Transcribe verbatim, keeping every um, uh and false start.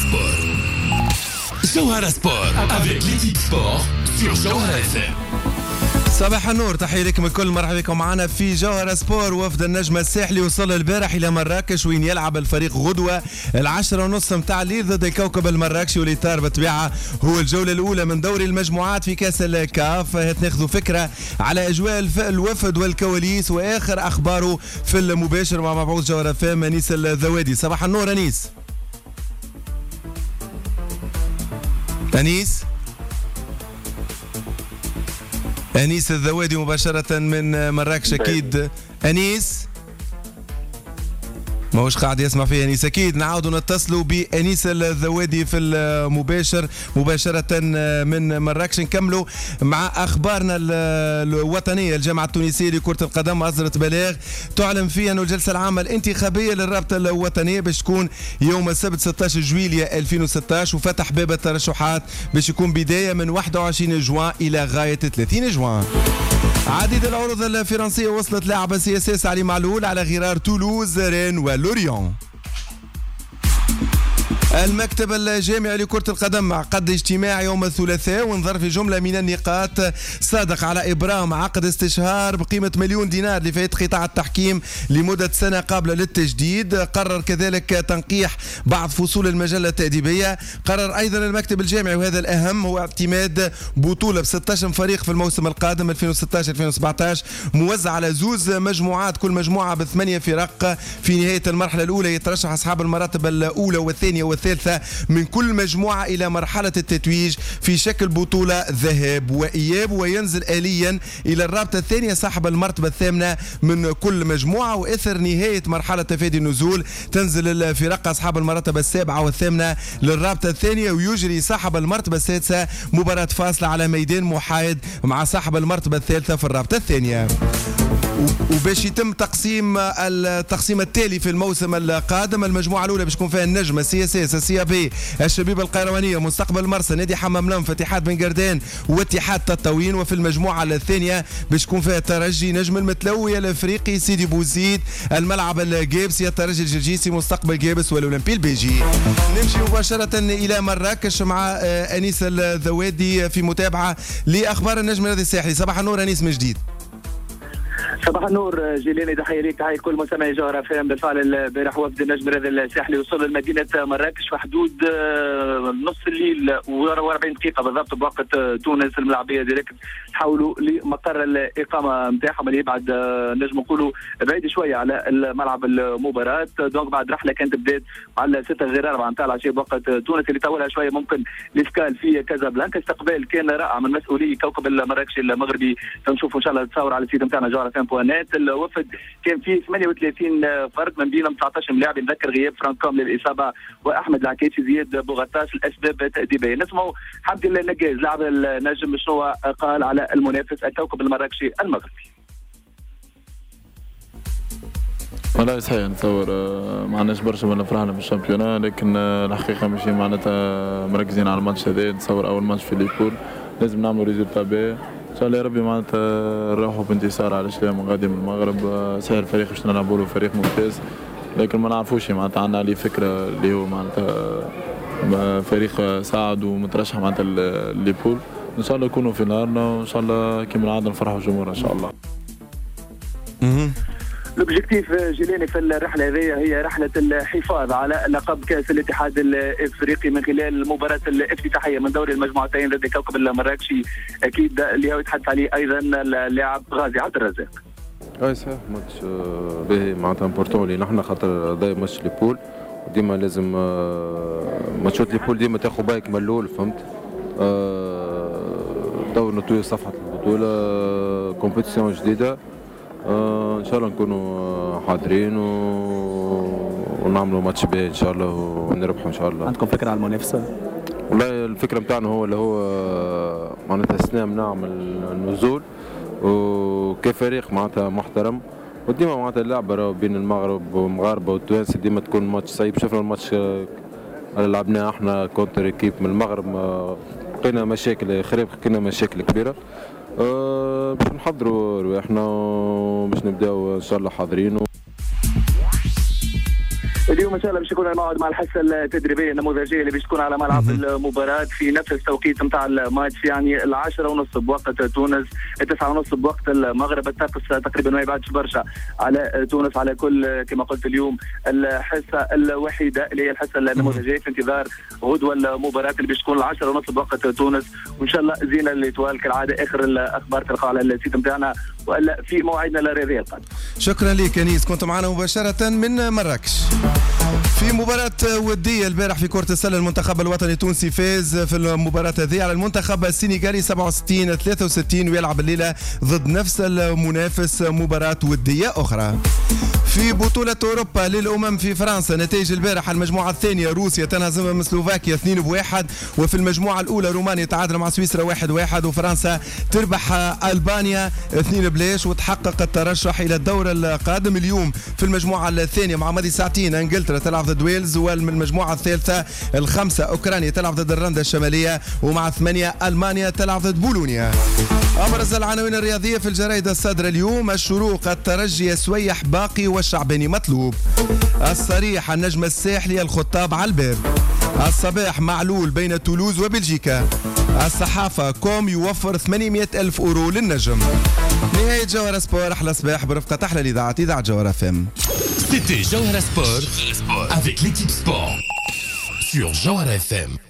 Sport. جوهرة Sport avec l'équipe sport sur جوهرة إف إم. صباح النور، تحية لكم الكل، مرحبا بكم معنا في جوهرة سبور. وفد النجم الساحلي وصل البارح إلى مراكش وين يلعب الفريق غدوة العشرة ونص متاع الليل ضد الكوكب المراكشي، والإطار بالطبيعة هو الجولة الأولى من دوري المجموعات في كأس الكاف. ناخذ فكرة على أجواء الوفد والكواليس وآخر أخباره في المباشر مع مبعوث جوهرة إف إم أنيس الذوادي. صباح النور أنيس. أنيس أنيس الذوادي مباشرة من مراكش. أكيد أنيس ماهوش قاعد يسمع فيه أنيس، أكيد نعاودوا نتصلوا بأنيس الذوادي في المباشر مباشرة من مراكش. نكملوا مع أخبارنا الوطنية. الجامعة التونسية لكرة القدم أصدرت بلاغ تعلن فيه أن الجلسة العامة الانتخابية للرابطة الوطنية باش تكون يوم السبت ستة عشر جويلية ألفين وستة عشر، وفتح باب الترشحات باش يكون بداية من واحد وعشرين جوان إلى غاية ثلاثين جوان. عديد العروض الفرنسية وصلت لاعب CSS علي معلول على غرار تولوز، رين ولوريون. المكتب الجامعي لكرة القدم عقد اجتماع يوم الثلاثاء ونظر في جملة من النقاط، صادق على إبرام عقد استشهار بقيمة مليون دينار لفائدة قطاع التحكيم لمدة سنة قابلة للتجديد. قرر كذلك تنقيح بعض فصول المجلة التأديبية. قرر أيضا المكتب الجامعي وهذا الأهم هو اعتماد بطولة ب ستة عشر فريق في الموسم القادم ألفين وستة عشر ألفين وسبعة عشر موزع على زوز مجموعات، كل مجموعة بثمانية فرق. في نهاية المرحلة الأولى يترشح أصحاب المراتب الأولى والثانية والثالثة من كل مجموعة إلى مرحلة التتويج في شكل بطولة ذهاب وإياب، وينزل آليا إلى الرابطة الثانية صاحب المرتبة الثامنة من كل مجموعة. وإثر نهاية مرحلة تفادي النزول تنزل الفرق أصحاب المرتبة السابعة والثامنة للرابطة الثانية، ويجري صاحب المرتبة السادسة مباراة فاصلة على ميدان محايد مع صاحب المرتبة الثالثة في الرابطة الثانية. وباش يتم تقسيم التقسيم التالي في الموسم القادم، المجموعة الأولى باش تكون فيها النجمة، CSS، ال CAB، الشبيبة القيروانية، مستقبل مرسى، نادي حمام لنف، اتحاد بن قردان واتحاد تطاوين. وفي المجموعة الثانية باش تكون فيها الترجي، نجم المتلوي الافريقي، سيدي بوزيد، الملعب الجابسي، الترجي الجرجيسي، مستقبل جابس والاولمبي البيجي. نمشي مباشرة إلى مراكش مع أنيس الذوادي في متابعة لأخبار النجم الرياضي الساحلي. صباح النور أنيس من جديد. صباح النور جيلاني، تحية ليك، تحية لكل مستمعي جوهرة إف إم. بالفعل البارح وفد النجم الرياضي الساحلي وصل لمدينة مراكش في حدود نص الليل وأربعين دقيقة بالضبط بوقت تونس. الملاعبية direct تحولوا لمقر الإقامة نتاعهم اللي يبعد نجم نقولوا بعيد شوية على الملعب المباراة. donc بعد رحلة كانت بدات على ستة غير أربعة نتاع العشية بوقت تونس اللي طولها شوية ممكن l'escale في كازابلانكا. استقبال كان رائع من مسؤولي كوكب المراكشي المغربي، نشوفوا إن شاء الله تصور على ال site نتاعنا جوهرة إف إم. الوفد كان فيه ثمانية وثلاثين فرد من بينهم تسعة عشر لاعب. نذكر غياب فرانكوم للاصابة واحمد العكيشي، زياد بوغطاس الاسباب تاديبيه. نسمعوا حمدي النجاز لاعب النجم شنو قال على المنافس الكوكب المراكشي المغربي. والله صحيح نتصور ما عندناش برشا ولا فرحنا بال championnat، لكن الحقيقة ماشي معناتها مركزين على الماتش هذا. نتصور اول ماتش في les poules لازم نعملوا résultat باهي ان شاء الله يا ربي، معناتها نروحوا بانتصار على شلام غادي من المغرب. صحيح الفريق باش نلعبوا له فريق ممتاز، لكن ما نعرفوش معناتها عندنا عليه فكرة اللي هو معناتها فريق صاعد ومترشح معناتها les poules. ان شاء الله يكونوا في نهارنا وان شاء الله كما العادة نفرحوا الجمهور ان شاء الله. l'objectif جيلاني في الرحلة هذه هي رحله الحفاظ على لقب كاس الاتحاد الافريقي من خلال المباراة الافتتاحيه من دوري المجموعتين ضد كوكب المراكشي، اكيد اللي هو يتحدث عليه ايضا اللاعب غازي عبد الرزاق. اي صحيح ماتش باهي معناتها important لينا احنا خاطر هذا match les poules، ديما لازم ماتشات les poules ديما تاخذ بالك من الاول، فهمت؟ تو نطوي صفحة البطولة، compétition جديدة، آه ان شاء الله نكونوا حاضرين و... ونعملوا ماتش باهي ان شاء الله ونربحوا ان شاء الله. عندكم فكرة على المنافسة؟ والله الفكرة نتاعنا هو اللي هو معناتها السنة نعمل النزول وكفريق معناتها محترم، وديما معناتها اللعبة بين المغرب والمغاربة والتوانسه ديما تكون ماتش صعيب. شفنا الماتش اللي لعبناه احنا contre équipe من المغرب لقينا مشاكل خريب، لقينا مشاكل كبيرة. أه باش نحضروا رواحنا باش نبداو ان شاء الله حاضرين. اليوم اليوم ان شاء الله باش يكون الموعد مع الحصة التدريبية النموذجيه اللي باش تكون على ملعب المباراة في نفس التوقيت نتاع الماتش، يعني العشرة ونص بوقت تونس، التسعة ونص بوقت المغرب. الطقس تقريبا ما يبعدش برشا على تونس. على كل كما قلت اليوم الحصة الوحيدة اللي هي الحصة النموذجيه في انتظار غدوه المباراة اللي باش تكون العشرة ونص بوقت تونس، وان شاء الله زينة l'Étoile كالعادة. اخر الاخبار تلقاها على ال site نتاعنا والا في موعدنا الرياضي القادم. شكرا لك انيس، كنت معنا مباشرة من مراكش. في مباراة ودية البارح في كرة السلة المنتخب الوطني التونسي فاز في المباراة هذه على المنتخب السنغالي سبعة وستين ثلاثة وستين، ويلعب الليلة ضد نفس المنافس مباراة ودية أخرى. في بطولة أوروبا للأمم في فرنسا نتائج البارح المجموعة الثانية روسيا تنهزم من سلوفاكيا اثنين بواحد، وفي المجموعة الأولى رومانيا تعادل مع سويسرا واحد واحد، وفرنسا تربح ألبانيا اثنين بلاش وتحقق الترشح إلى الدور القادم. اليوم في المجموعة الثانية مع ماضي ساعتين إنجلترا تلعب ضد ويلز، والمجموعة الثالثة الخمسة أوكرانيا تلعب ضد الرندا الشمالية، ومع ثمانية ألمانيا تلعب ضد بولونيا. أبرز العناوين الرياضية في الجرائد الصادرة اليوم: الشروق، الترجي سويح باقي والشعباني مطلوب. الصريح، النجم الساحلي الخطاب على الباب. الصباح، معلول بين تولوز وبلجيكا. الصحافة، كوم يوفر ثمانمئة ألف أورو للنجم. نهاية جوهرة سبور، أحلى صباح برفقة أحلى الإذاعة، إذاعة جوهرة إف إم. C'était Jawhara Sport avec l'équipe sport sur Jawhara إف إم.